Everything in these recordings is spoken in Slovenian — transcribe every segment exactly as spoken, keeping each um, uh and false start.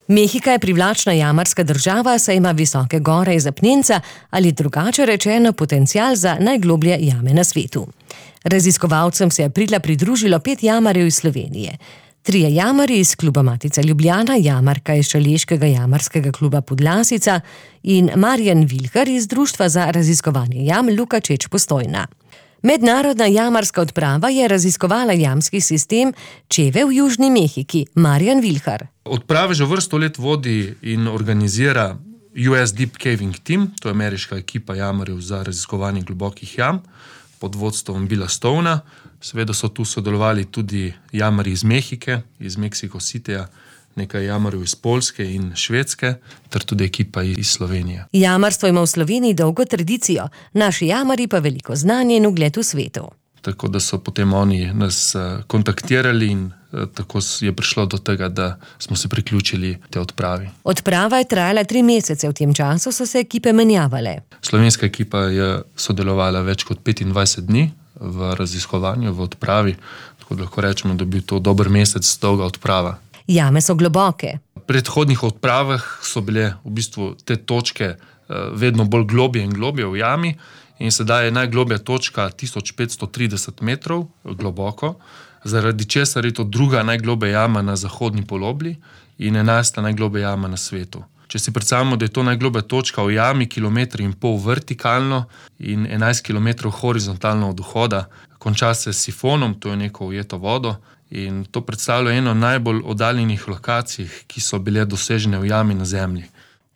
Mehika je privlačna jamarska država, saj ima visoke gore iz apnenca ali drugače rečeno potencial za najgloblje jame na svetu. Raziskovalcem se je aprila pridružilo pet jamarjev iz Slovenije. Trije jamarji iz kluba Matica Ljubljana, jamarka iz Šaleškega jamarskega kluba Podlasica in Marjan Vilhar iz Društva za raziskovanje jam Luka Čeč Postojna. Mednarodna jamarska odprava je raziskovala jamski sistem Čeve v Južni Mehiki. Marjan Vilhar. Odprave že vrsto let vodi in organizira U S Deep Caving Team, to je ameriška ekipa jamarjev za raziskovanje globokih jam, pod vodstvom Billa Stona. Seveda so tu sodelovali tudi jamarji iz Mehike, iz Mexico Cityja, nekaj jamarjev iz Poljske in Švedske, ter tudi ekipa iz Slovenije. Jamarstvo ima v Sloveniji dolgo tradicijo, naši jamarji pa veliko znanje in ugled v svetu. Tako da so potem oni nas kontaktirali in tako je prišlo do tega, da smo se priključili te odpravi. Odprava je trajala tri mesece, v tem času so se ekipe menjavale. Slovenska ekipa je sodelovala več kot petindvajset dni v raziskovanju, v odpravi, tako da lahko rečemo, da je bil to dober mesec dolga odprava. Jame so globoke. V predhodnih odpravah so bile v bistvu te točke vedno bolj globje in globje v jami in sedaj je najglobja točka tisoč petsto trideset metrov globoko, zaradi česar je to druga najglobja jama na zahodni polobli in enajsta najglobja jama na svetu. Če si predstavljamo, da je to najglobja točka v jami, kilometr in pol vertikalno in enajst kilometrov horizontalno od vhoda, konča se s sifonom, to je neko ujeto vodo, in to predstavlja eno najbolj oddaljenih lokacij, ki so bile dosežene v jami na zemlji.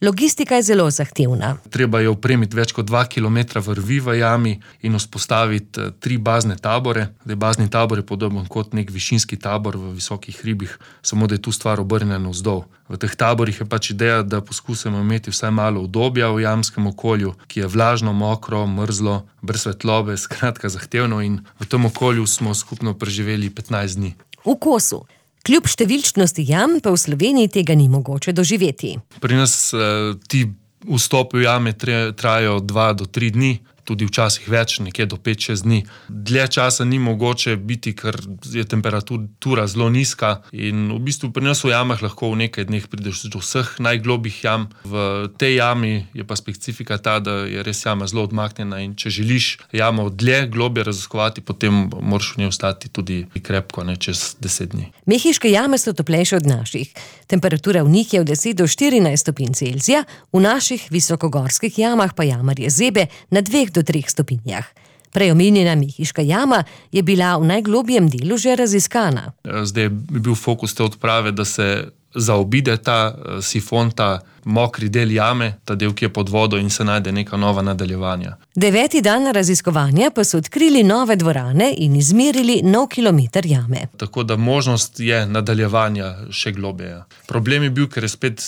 Logistika je zelo zahtevna. Treba je opremiti več kot dva kilometra vrvi v jami in vzpostaviti tri bazne tabore. Zdaj, bazni tabor je podoben kot nek višinski tabor v visokih hribih, samo da je tu stvar obrnjena navzdol. V teh taborih je pač ideja, da poskusimo imeti vsaj malo udobja v jamskem okolju, ki je vlažno, mokro, mrzlo, brez svetlobe, skratka zahtevno, in v tem okolju smo skupno preživeli petnajst dni. V kosu. Kljub številčnosti jam pa v Sloveniji tega ni mogoče doživeti. Pri nas eh, ti vstopi v jame trajajo dva do tri dni, tudi včasih več, nekje do pet šest dni. Dlje časa ni mogoče biti, ker je temperatura zelo nizka in v bistvu pri nas v jamah lahko v nekaj dneh prideš do vseh najglobjih jam. V tej jami je pa specifika ta, da je res jama zelo odmaknjena in če želiš jamo dlje, globje raziskovati, potem moraš v njej ostati tudi krepko, ne čez deset dni. Mehiške jame so toplejše od naših. Temperatura v njih je od deset do štirinajst stopinj Celzija, v naših visokogorskih jamah pa jamarje zebe na dveh do treh stopinjah. Prej omenjena Mehiška jama je bila v najglobjem delu že raziskana. Zdaj je bil fokus te odprave, da se zaobide ta sifon, ta mokri del jame, ta del, ki je pod vodo, in se najde neka nova nadaljevanja. Deveti dan raziskovanja pa so odkrili nove dvorane in izmerili nov kilometer jame. Tako da možnost je nadaljevanja še globje. Problem je bil, ker je spet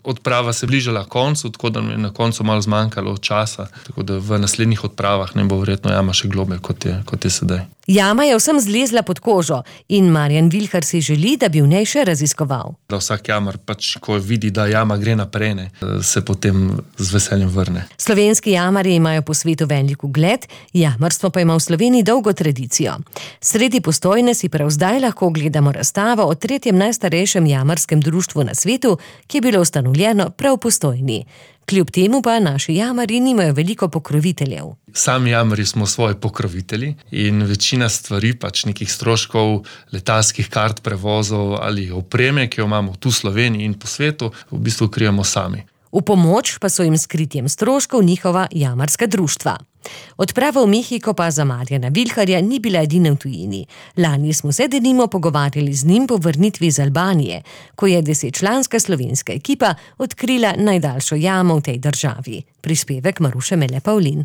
odprava se bližala koncu, tako da mi je na koncu malo zmanjkalo časa, tako da v naslednjih odpravah ne bo verjetno jama še globje, kot je, kot je sedaj. Jama je vsem zlezla pod kožo in Marjan Vilhar si želi, da bi v njej še raziskoval. Da vsak jamar, pač, ko vidi, da jama gre naprej, ne, se potem z veseljem vrne. Slovenski jamarji imajo po svetu velik ugled, jamarstvo pa ima v Sloveniji dolgo tradicijo. Sredi Postojne si prav zdaj lahko ogledamo razstavo o tretjem najstarejšem jamarskem društvu na svetu, ki je bilo ustanovljeno prav v Postojni. Kljub temu pa naši jamarji nimajo veliko pokroviteljev. Sami jamarji smo svoji pokrovitelji in večina stvari, pač nekih stroškov, letalskih kart, prevozov ali opreme, ki jo imamo tu v Sloveniji in po svetu, v bistvu krijemo sami. V pomoč pa so jim s kritjem stroškov njihova jamarska društva. Odprava v Mehiko pa za Marjana Vilharja ni bila edina v tujini. Lani smo se denimo pogovarjali z njim po vrnitvi iz Albanije, ko je desetčlanska slovenska ekipa odkrila najdaljšo jamo v tej državi. Prispevek Maruše Mele Pavlin.